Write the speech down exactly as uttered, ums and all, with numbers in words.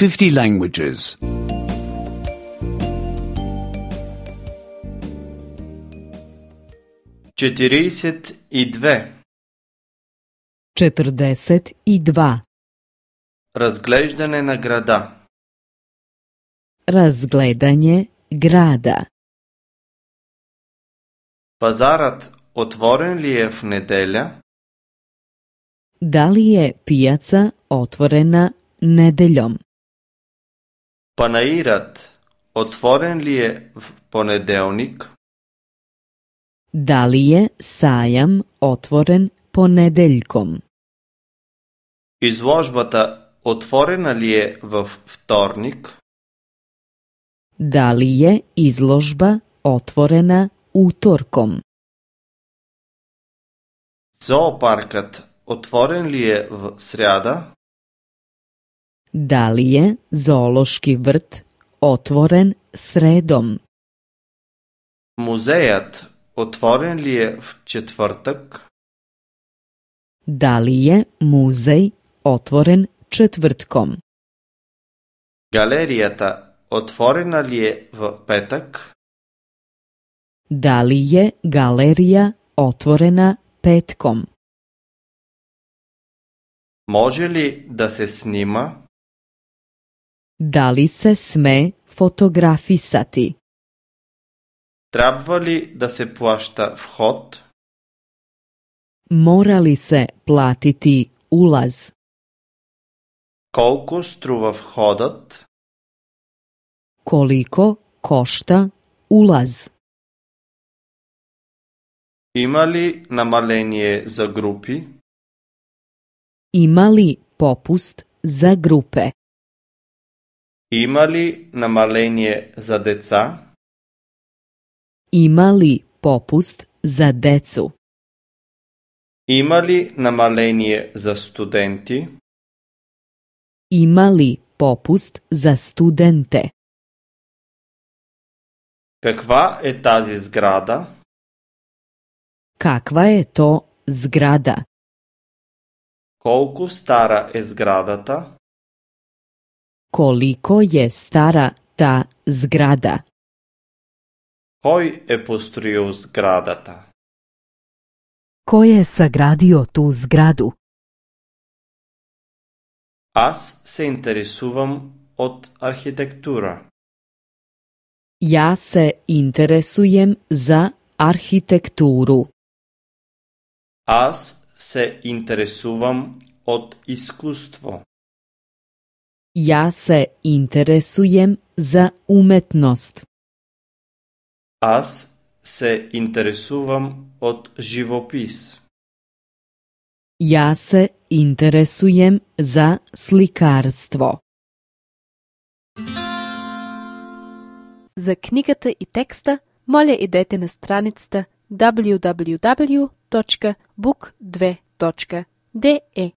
fifty languages. четириесет и две. Четрдесет и два. Разглеждане на града. Разгледање града. Пазарът отворен ли е в неделя? Дали е пијаца отворена неделјом? Панаирът отворен ли е в понеделник? Дали е сајам отворен понеделјком? Изложбата отворена ли е във вторник? Дали е изложба отворена уторком? Зоопаркът отворен ли е в сряда? Дали е зоолошки врт отворен средом? Музеят отворен ли е в четвъртък? Дали е музеј отворен четвртком? Галерията отворена ли е в петък? Дали е галерија отворена петком? Може ли да се снима? Дали се сме фотографисати? Трябва ли да се плаща вход? Мора ли се платити улаз? Колко струва входът? Колико кошта улаз? Има ли намаление за групи? Има ли попуст за групе? Има ли намаление за деца? Има ли попуст за децу? Има ли намаление за студенти? Има ли попуст за студенте? Каква е тази сграда? Каква е то зграда? Колко стара е сградата? Колико е стара та зграда? Кой е построил сградата? Кој е саградио ту зграду? Аз се интересувам от архитектура. Ја се интересуjem за архитектуру. Аз се интересувам от изкуство. Ја се интересуjem за уметност. Аз се интересувам от живопис. Ја се интересуjem за сликарство. За книгата и текста, моля идете на страницата дабљу дабљу дабљу точка бук две точка де е.